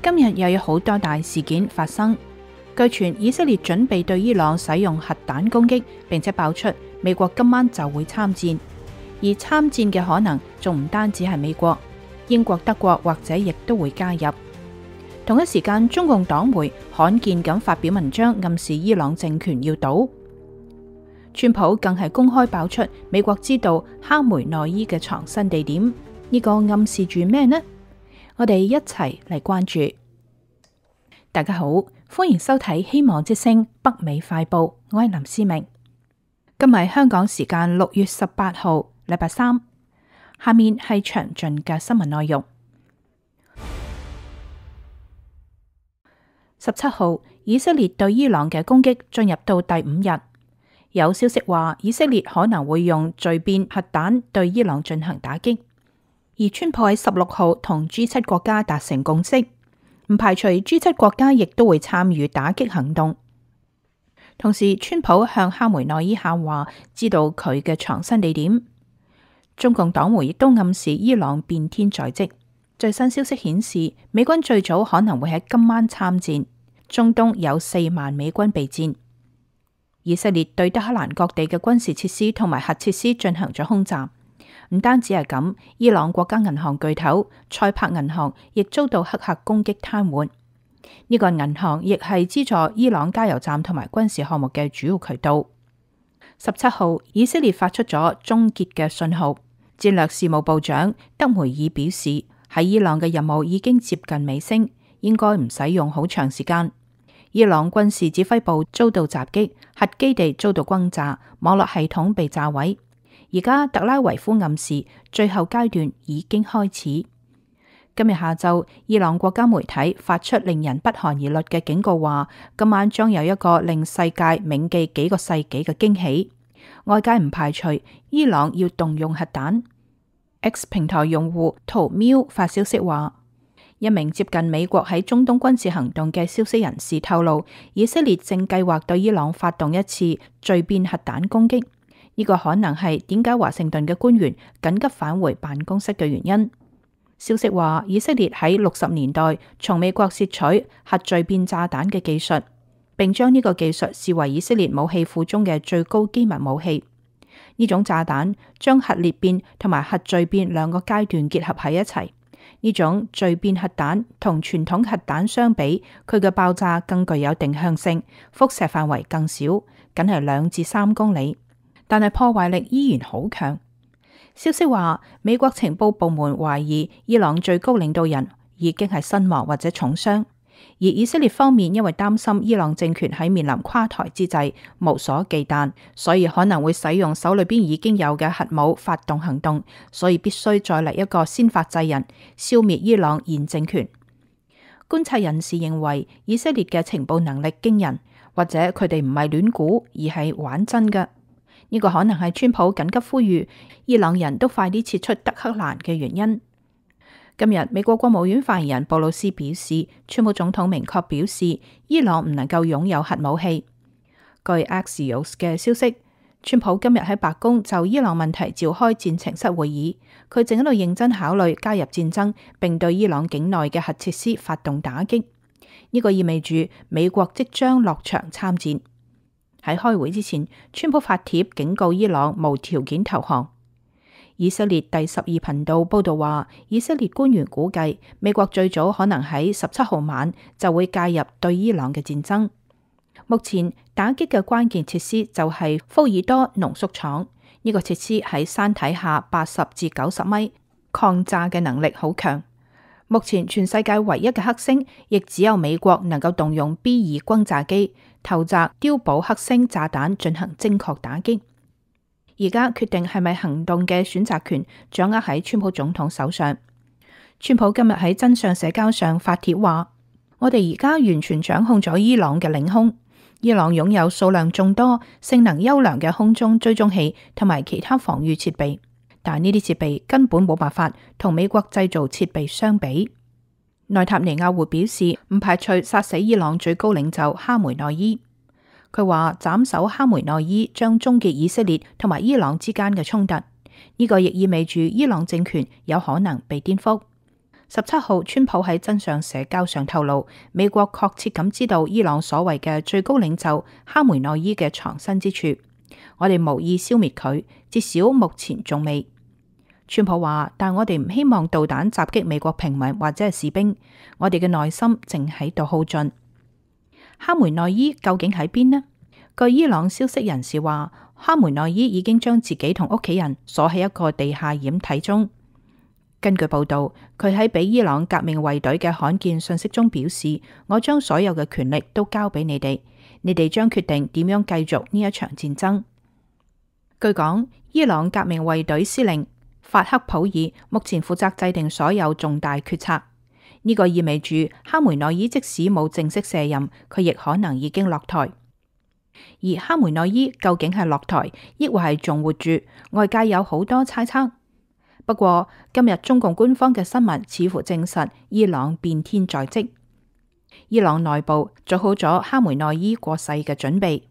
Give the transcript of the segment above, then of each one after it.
今日又有好多大事件發生，據傳以色列準備對伊朗使用核彈攻擊，並且爆出美國今晚就會參戰，而參戰嘅可能仲唔單止係美國、英國、德國或者亦都會加入。同一時間，中共黨媒罕見咁發表文章暗示伊朗政權要倒。川普更係公開爆出美國知道哈梅內伊嘅藏身地點，呢個暗示住咩呢？我哋一齊嚟關注。大家好，歡迎收睇希望之聲北美快報，我係林思明。今日香港時間6月18號，禮拜三。下面係詳盡嘅新聞內容。17號，以色列對伊朗嘅攻擊進入到第5日。有消息話，以色列可能會用聚變核彈對伊朗進行打擊。而川普喺16號同 G7 國家達成共識，唔排除 G7 國家亦都會參與打擊行動。同時，川普向哈梅內伊喊話，知道佢嘅藏身地點。中共黨媒亦都暗示伊朗變天在即。最新消息顯示，美軍最早可能會喺今晚參戰。中東有4萬美軍備戰。以色列對德黑蘭各地嘅軍事設施同埋核設施進行咗空襲。唔單止係咁，伊朗國家銀行巨頭塞柏銀行亦遭到黑客攻擊癱瘓。呢個銀行亦係資助伊朗加油站同埋軍事項目嘅主要渠道。17號，以色列發出咗終結嘅信號。戰略事務部長德梅爾表示，喺伊朗嘅任務已經接近尾聲，應該唔使用好長時間。伊朗軍事指揮部遭到襲擊，核基地遭到轟炸，網絡系統被炸毀。而家特拉維夫暗示最後階段已經開始。今日下晝，伊朗國家媒體發出令人不寒而栗嘅警告，話今晚將有一個令世界銘記幾個世紀嘅驚喜。外界唔排除伊朗要動用核彈。X 平台用戶圖喵發消息話，一名接近美國喺中東軍事行動嘅消息人士透露，以色列正計劃對伊朗發動一次聚變核彈攻擊。呢個可能係點解華盛頓嘅官員緊急返回辦公室嘅原因。消息話，以色列喺60年代從美國竊取核聚變炸彈嘅技術，並將呢個技術視為以色列武器庫中嘅最高機密武器。呢種炸彈將核裂變同埋核聚變兩個階段結合喺一齊。呢種聚變核彈同傳統核彈相比，佢嘅爆炸更具有定向性，輻射範圍更小，僅係2至3公里，但係破壞力依然好強。消息話，美國情報部門懷疑伊朗最高領導人已經係身亡或者重傷，而以色列方面因為擔心伊朗政權喺面臨垮台之際無所忌憚，所以可能會使用手裏邊已經有嘅核武發動行動，所以必須再嚟一個先發制人，消滅伊朗現政權。觀察人士認為，以色列嘅情報能力驚人，或者佢哋唔係亂估，而係玩真嘅。呢個可能係川普緊急呼籲伊朗人都快啲撤出德黑蘭嘅原因。今日美國國務院發言人布魯斯表示，川普總統明確表示，伊朗唔能夠擁有核武器。據 Axios 嘅消息，川普今日喺白宮就伊朗問題召開戰情室會議，佢正喺度認真考慮加入戰爭，並對伊朗境內嘅核設施發動打擊。呢個意味住美國即將落場參戰。喺開會之前，川普發帖警告伊朗無條件投降。以色列第12頻道報道話，以色列官員估計美國最早可能喺17號晚就會介入對伊朗嘅戰爭。目前打擊嘅關鍵設施就係福爾多濃縮廠，呢個設施喺山體下80至90米，抗炸嘅能力好強。目前全世界唯一嘅黑星，亦只有美國能夠動用 B2轟炸機投擲碉堡黑星炸彈進行精確打擊。而家決定係咪行動嘅選擇權掌握喺川普總統手上。川普今日喺真相社交上發帖話，我哋而家完全掌控咗伊朗嘅領空。伊朗擁有數量眾多、性能優良嘅空中追蹤器同埋其他防禦設備，但呢啲設備根本冇辦法同美國製造設備相比。內塔尼亞胡表示唔排除殺死伊朗最高領袖哈梅內伊。佢話斬首哈梅內伊將終結以色列同埋伊朗之間嘅衝突，呢個亦意味住伊朗政權有可能被顛覆。17號，川普喺真相社交上透露，美國確切咁知道伊朗所謂嘅最高領袖哈梅內伊嘅藏身之處。我哋無意消滅佢，至少目前仲未。川普話，但我哋唔希望導彈襲擊美國平民或者係士兵，我哋嘅內心正喺度耗盡。哈梅內伊究竟喺邊呢？據伊朗消息人士話，哈梅內伊已經將自己同屋企人鎖喺一個地下掩體中。根據報道，佢喺俾伊朗革命衛隊嘅罕見信息中表示：我將所有嘅權力都交俾你哋，你哋將決定點樣繼續呢一場戰爭。據講，伊朗革命衛隊司令法克普爾目前負責制定所有重大決策。呢個意味住哈梅內伊即使冇正式卸任，佢亦可能已經落台。而哈梅內伊究竟係落台，抑或係仲活住？外界有好多猜測。不過今日中共官方嘅新聞似乎證實伊朗變天在即。伊朗內部做好咗哈梅內伊過世嘅準備。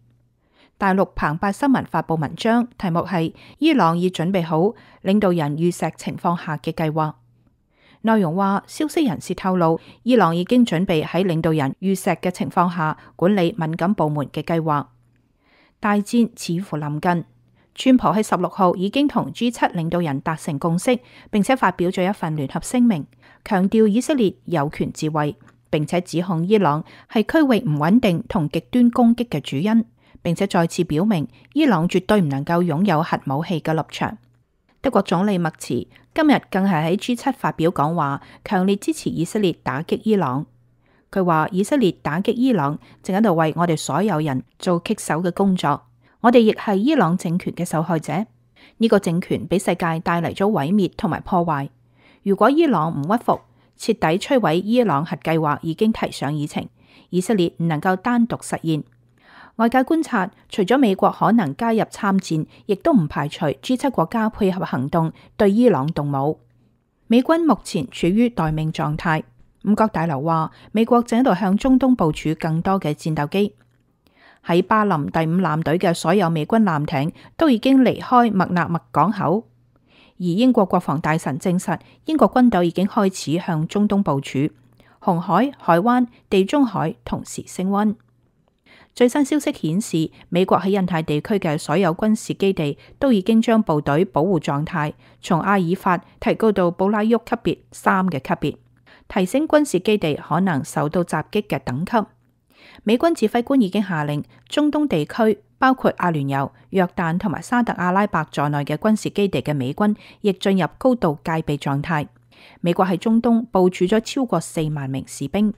大陸澎湃新聞發佈文章，題目係伊朗已準備好領導人遇刺情況下嘅計劃。內容話，消息人士透露，伊朗已經準備喺領導人遇刺嘅情況下管理敏感部門嘅計劃。大戰似乎臨近。川普喺16號已經同 G7 領導人達成共識，並且發表咗一份聯合聲明，強調以色列有權自衛，並且指控伊朗係區域唔穩定同極端攻擊嘅主因，並且再次表明伊朗絕對唔能夠擁有核武器嘅立場。德國總理默茨今日更係喺 G7 發表講話，強烈支持以色列打擊伊朗。佢話以色列打擊伊朗正喺度為我哋所有人做棘手嘅工作。我哋亦係伊朗政權嘅受害者，呢個政權俾世界帶嚟咗毀滅同埋破壞。如果伊朗唔屈服，徹底摧毀伊朗核計劃已經提上議程，以色列唔能夠單獨實現。外界觀察，除咗美國可能加入參戰，亦都唔排除 G7 國家配合行動對伊朗動武。美軍目前處於待命狀態。五角大樓話，美國正喺度向中東部署更多嘅戰鬥機。喺巴林第5艦隊嘅所有美軍艦艇都已經離開麥納麥港口，而英國國防大臣證實，英國軍隊已經開始向中東部署，紅海、海灣、地中海同時升溫。最新消息顯示，美國喺印太地區嘅所有軍事基地都已經將部隊保護狀態從阿爾法提高到布拉沃級別3嘅級別，提升軍事基地可能受到襲擊嘅等級。美軍指揮官已經下令，中東地區包括阿聯酋、約旦同埋沙特阿拉伯在內嘅軍事基地嘅美軍亦進入高度戒備狀態。美國喺中東部署咗超過4萬名士兵。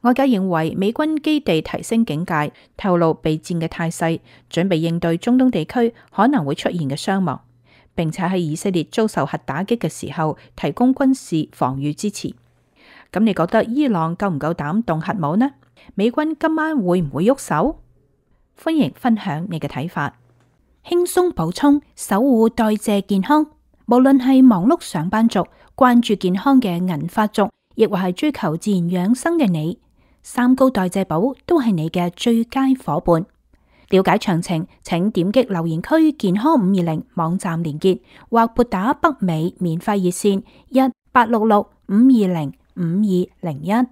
外界認為美軍基地提升警戒，透露備戰嘅態勢，準備應對中東地區可能會出現嘅傷亡，並且喺以色列遭受核打擊嘅時候提供軍事防禦支持。咁你覺得伊朗夠唔夠膽動核武呢？美軍今晚會唔會喐手？歡迎分享你嘅睇法。輕鬆補充，守護代謝健康。無論係忙碌上班族、關注健康嘅銀髮族，亦或係追求自然養生嘅你，3高代謝寶都係你嘅最佳夥伴。了解詳情，請點擊留言區健康520網站連結，或撥打北美免費熱線1-866-520-5201。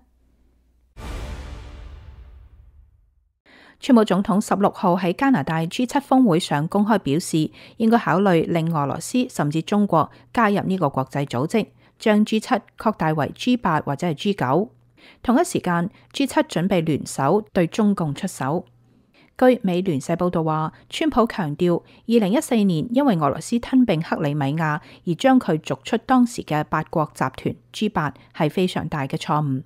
川普總統16號喺加拿大 G7 峰會上公開表示，應該考慮令俄羅斯甚至中國加入呢個國際組織，將 G7 擴大為 G8 或者係 G9。同一時間 ，G7 準備聯手對中共出手。據美聯社報道話，川普強調，2014年因為俄羅斯吞併克里米亞而將佢逐出當時嘅8國集團 G8 係非常大嘅錯誤。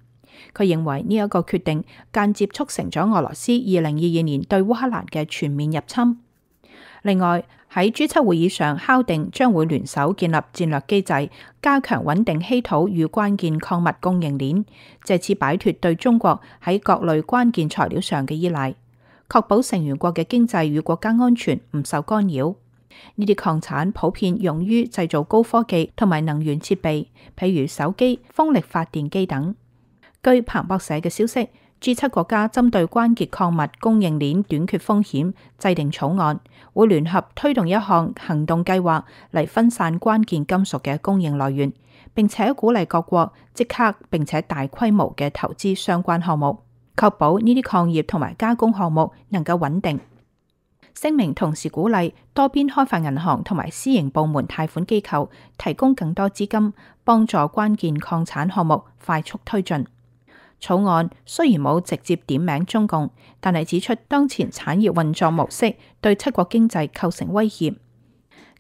佢認為呢一個決定間接促成咗俄羅斯2022年對烏克蘭嘅全面入侵。另外喺 G7 會議上敲定將會聯手建立戰略機制，加強穩定稀土與關鍵礦物供應鏈，借此擺脫對中國喺各類關鍵材料上嘅依賴，確保成員國嘅經濟與國家安全唔受干擾。呢啲礦產普遍用於製造高科技同埋能源設備，譬如手機、風力發電機等。據彭博社嘅消息，G7 國家針對關鍵礦物供應鏈短缺風險制定草案，會聯合推動一項行動計劃嚟分散關鍵金屬嘅供應來源，並且鼓勵各國即刻並且大規模嘅投資相關項目，確保呢啲礦業同埋加工項目能夠穩定。聲明同時鼓勵多邊開發銀行同埋私營部門貸款機構提供更多資金，幫助關鍵礦產項目快速推進。草案雖然冇直接點名中共，但係指出當前產業運作模式對七國經濟構成威脅。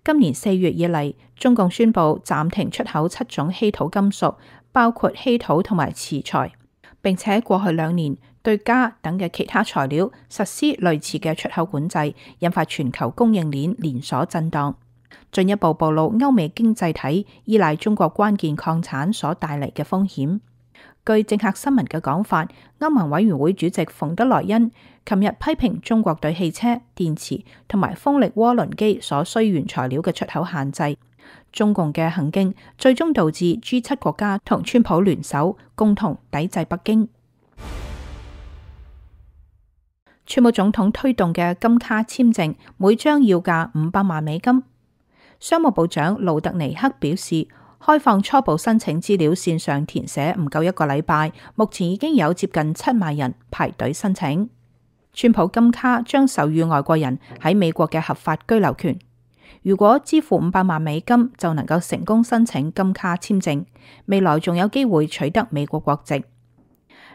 今年4月以嚟，中共宣布暫停出口7種稀土金屬，包括稀土同埋瓷材，並且過去2年對鎵等嘅其他材料實施類似嘅出口管制，引發全球供應鏈連鎖震盪，進一步暴露歐美經濟體依賴中國關鍵礦產所帶嚟嘅風險。據政客新聞嘅講法，歐盟委員會主席馮德萊恩琴日批評中國對汽車、電池同埋風力渦輪機所需原材料嘅出口限制。中共嘅行徑最終導致 G7 國家同川普聯手共同抵制北京。川普總統推動嘅金卡簽證每張要價500萬美金。商務部長盧特尼克表示，開放初步申請資料線上填寫唔夠1個禮拜，目前已經有接近7萬人排隊申請。川普金卡將授予外國人喺美國嘅合法居留權。如果支付500萬美金，就能夠成功申請金卡簽證，未來仲有機會取得美國國籍。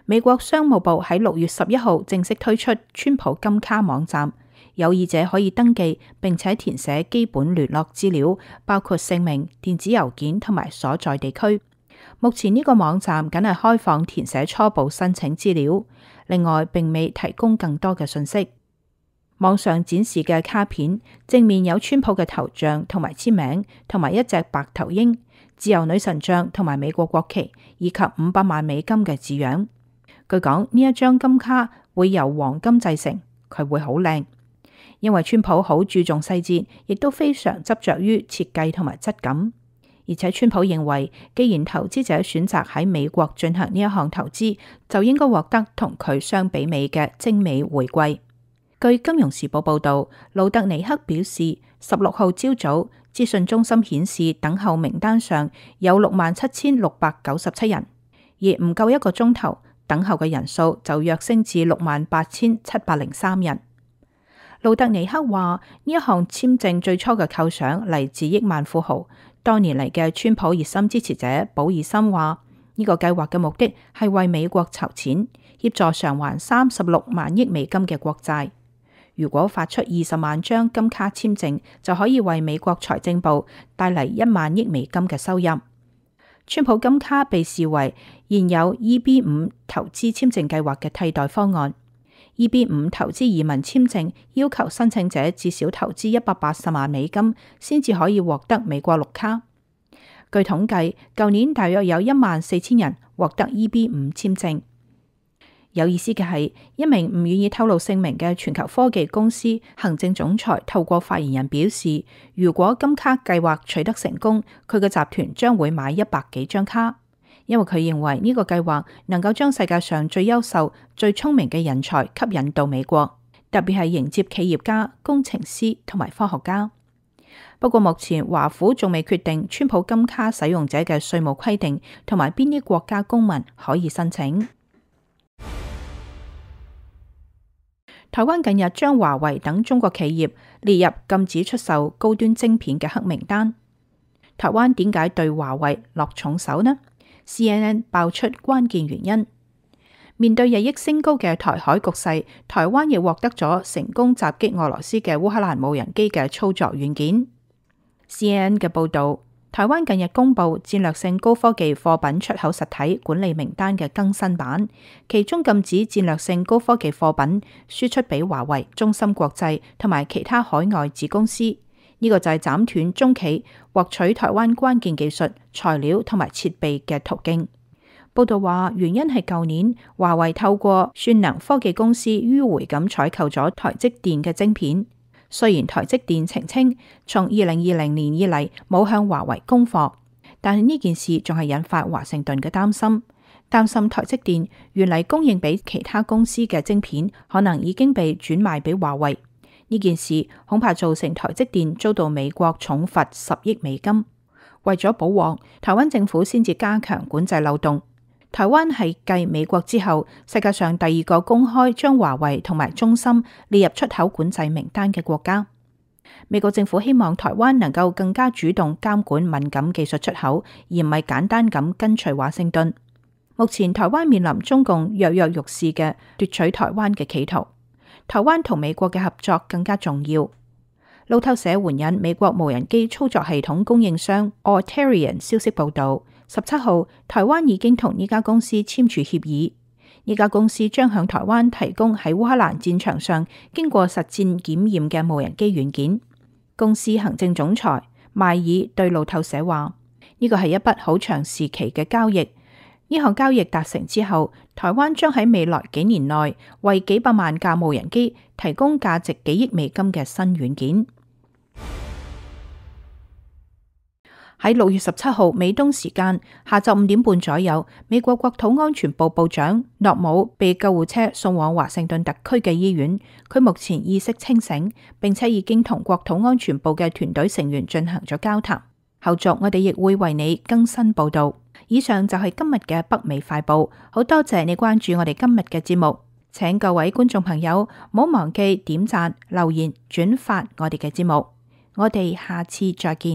美國商務部喺6月11號正式推出川普金卡網站。有意者可以登記並且填寫基本聯絡資料，包括姓名、電子郵件同埋所在地區。目前呢個網站僅係開放填寫初步申請資料，另外並未提供更多嘅信息。網上展示嘅卡片正面有川普嘅頭像同埋簽名，同埋一隻白頭鷹、自由女神像同埋美國國旗，以及500萬美金嘅字樣。據講呢一張金卡會由黃金製成，佢會好靚。因為川普好注重細節，亦都非常執着於設計同埋質感。而且川普認為，既然投資者選擇喺美國進行呢一項投資，就應該獲得同佢相比美嘅精美回饋。據金融時報報道，盧特尼克表示，16號朝早資訊中心顯示等候名單上有67,697人，而唔夠1個鐘頭，等候嘅人數就躍升至68,703人。盧特尼克話：呢一項簽證最初嘅構想嚟自億萬富豪。多年嚟嘅川普熱心支持者保爾森話：呢個計劃嘅目的係為美國籌錢，協助償還36萬億美金嘅國債。如果發出20萬張金卡簽證，就可以為美國財政部帶嚟1萬億美金嘅收入。川普金卡被視為現有 EB5 投資簽證計劃嘅替代方案。EB5 投資移民簽證要求申請者至少投資180萬美金，先至可以獲得美國綠卡。據統計，舊年大約有14000人獲得 EB5 簽證。有意思嘅係，一名唔願意透露姓名嘅全球科技公司行政總裁透過發言人表示，如果金卡計劃取得成功，佢嘅集團將會買100幾張卡。因為佢認為呢個計劃能夠將世界上最優秀、最聰明嘅人才吸引到美國，特別係迎接企業家、工程師同埋科學家。不過目前華府仲未決定川普金卡使用者嘅稅務規定同埋邊啲國家公民可以申請。台灣近日將華為等中國企業列入禁止出售高端晶片嘅黑名單。台灣點解對華為落重手呢？CNN 爆出關鍵原因。面對日益升高嘅台海局勢，台灣亦獲得咗成功襲擊俄羅斯嘅烏克蘭無人機嘅操作軟件。CNN 嘅報導，台灣近日公布戰略性高科技貨品出口實體管理名單嘅更新版，其中禁止戰略性高科技貨品輸出俾華為、中芯國際同埋其他海外子公司。呢個就係斬斷中企獲取台灣關鍵技術、材料同埋設備嘅途徑。報道話，原因係舊年華為透過算能科技公司迂迴咁採購咗台積電嘅晶片。雖然台積電澄清從2020年以嚟冇向華為供貨，但係呢件事仲係引發華盛頓嘅擔心台積電原嚟供應俾其他公司嘅晶片可能已經被轉賣俾華為。呢件事恐怕造成台積電遭到美國重罰10億美金。為咗保獲，台灣政府先至加強管制漏洞。台灣係繼美國之後，世界上第二個公開將華為同埋中芯列入出口管制名單嘅國家。美國政府希望台灣能夠更加主動監管敏感技術出口，而唔係簡單咁跟隨華盛頓。目前台灣面臨中共躍躍欲試嘅奪取台灣嘅企圖，台灣同美國嘅合作更加重要。路透社援引美國無人機操作系統供應商 Auterion 消息報道，17號台灣已經同呢家公司簽署協議，呢家公司將向台灣提供喺烏克蘭戰場上經過實戰檢驗嘅無人機軟件。公司行政總裁邁爾對路透社話：呢個係一筆好長時期嘅交易，呢項交易達成之後，台灣將喺未來幾年內為幾百萬架無人機提供價值幾億美金嘅新軟件。喺6月17號美東時間下晝5點半左右，美國國土安全部部長諾姆被救護車送往華盛頓特區嘅醫院，佢目前意識清醒，並且已經同國土安全部嘅團隊成員進行咗交談。後續我哋亦會為你更新報道。以上就係今日嘅北美快報，好多謝你關注我哋今日嘅節目，請各位觀眾朋友唔好忘記點讚、留言、轉發我哋嘅節目，我哋下次再見。